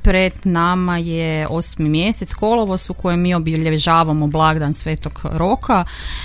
pred nama je 8. mjesec, kolovoz, u kojem mi obilježavamo blagdan Svetog Roka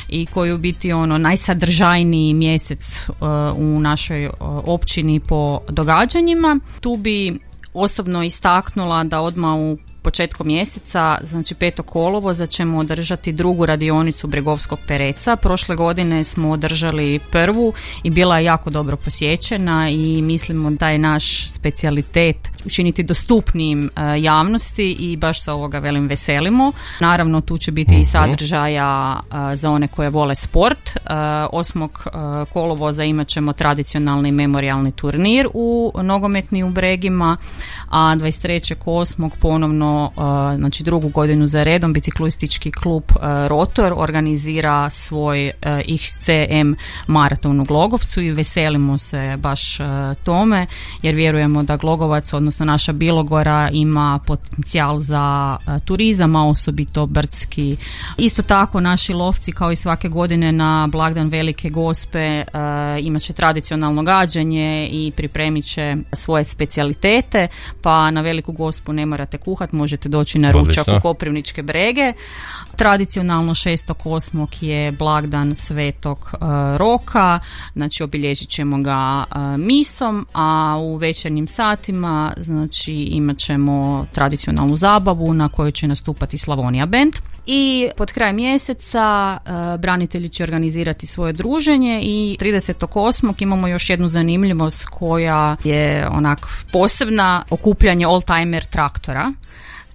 i koji je u biti najsadržajniji mjesec u našoj općini po događanjima. Tu bi osobno istaknula da odmah u početkom mjeseca, znači 5. kolovoza, ćemo održati drugu radionicu Bregovskog pereca. Prošle godine smo održali prvu i bila je jako dobro posjećena i mislimo da je naš specijalitet učiniti dostupnijim javnosti i baš se ovoga veselimo. Naravno, tu će biti i sadržaja za one koje vole sport. 8. kolovoza imat ćemo tradicionalni memorijalni turnir nogometni u Bregima, a 23.8. ponovno, znači drugu godinu za redom, biciklistički klub Rotor organizira svoj XCM maraton u Glogovcu i veselimo se baš tome, jer vjerujemo da Glogovac, odnosno naša Bilogora, ima potencijal za turizam, a osobito brdski. Isto tako naši lovci, kao i svake godine na blagdan Velike Gospe, imat će tradicionalno gađanje i pripremit će svoje specijalitete, pa na Veliku Gospu ne morate kuhat, možete doći na ručak u Koprivničke Brege. Tradicionalno 6.8. je blagdan Svetog Roka, znači obilježit ćemo ga misom, a u večernjim satima znači imat ćemo tradicionalnu zabavu na kojoj će nastupati Slavonija band. I pod kraj mjeseca branitelji će organizirati svoje druženje i 30.8. imamo još jednu zanimljivost koja je onak posebna, okupljanje oldtimer traktora.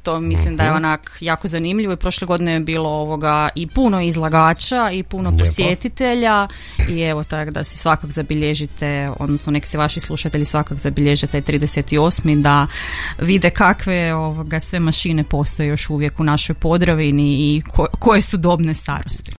To mislim da je onak jako zanimljivo i prošle godine je bilo i puno izlagača i puno posjetitelja i evo tako da si svakak zabilježite, odnosno nek se vaši slušatelji svakak zabilježe taj 38. da vide kakve sve mašine postoje još uvijek u našoj Podravini i koje su dobne starosti.